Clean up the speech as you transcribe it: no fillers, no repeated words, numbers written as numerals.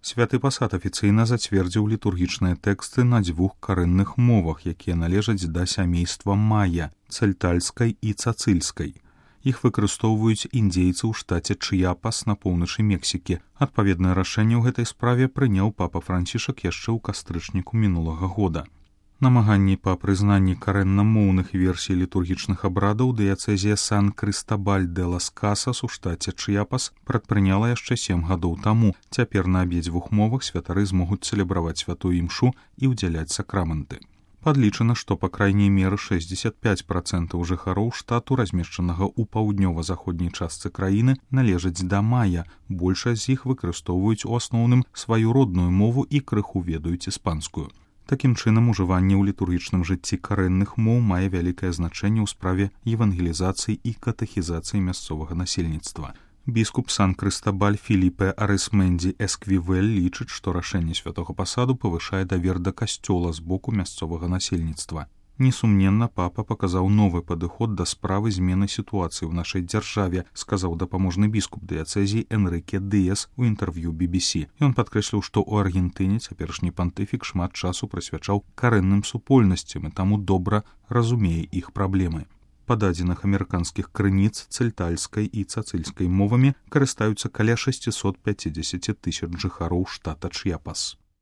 Святы пасад афіцыйна зацвердзіў літургічныя тэксты на 2 карэнных мовах, якія належаць да сямейства мая, цельтальскай і цацыльскай. Іх выкарыстоўваюць індзейцы ў штаце Чыяпас на поўначы Мексікі. Адпаведнае рашэнне ў гэтай справе прыняў папа Францішак яшчэ ў кастрычніку мінулага года. Намаганні па прызнанні карэннамоўных версій літургічных абрадаў дыяцэзія Сан-Крыстабаль-де-лас-Касас у штаце Чыяпас прадпрыняла яшчэ 7 гадоў таму. Цяпер на абедзвюх мовах святары змогуць цэлебраваць святую імшу і ўдзяляць сакрамэнты. Падлічана, што па крайняй меры 65% жыхароў штату, размешчанага ў паўднёва-заходняй частцы краіны, належаць да мая. Большасць з іх выкарыстоўваюць у асноўным сваю родную мову і крыху ведаюць іспанскую. Такім чынам, ужыванне ў літургічным жыцці карэнных моў мае вялікае значэнне ў справе евангелізацыі і катэхізацыі мясцовага насельніцтва. Біскуп Сан-Крыстабаль Філіпе Арысмендзі Эсквівель лічыць, што рашэнне святога пасаду павышае давер да касцёла з боку мясцовага насельніцтва. Несумненна, папа паказаў новы падыход да справы змены сітуацыі ў нашай дзяржаве, сказаў дапаможны біскуп дыяцэзіі Энрыке Дыяс у інтэрв'ю BBC. Ён падкрэсліў, што ў Аргентыне цяперашні пантыфік шмат часу прысвячаў карэнным супольнасцям і таму добра разумее іх праблемы. Па дадзеных амерыканскіх крыніц цельтальскай і цацыльскай мовамі карыстаюцца каля 650 000 жыхароў штата Чыяпас.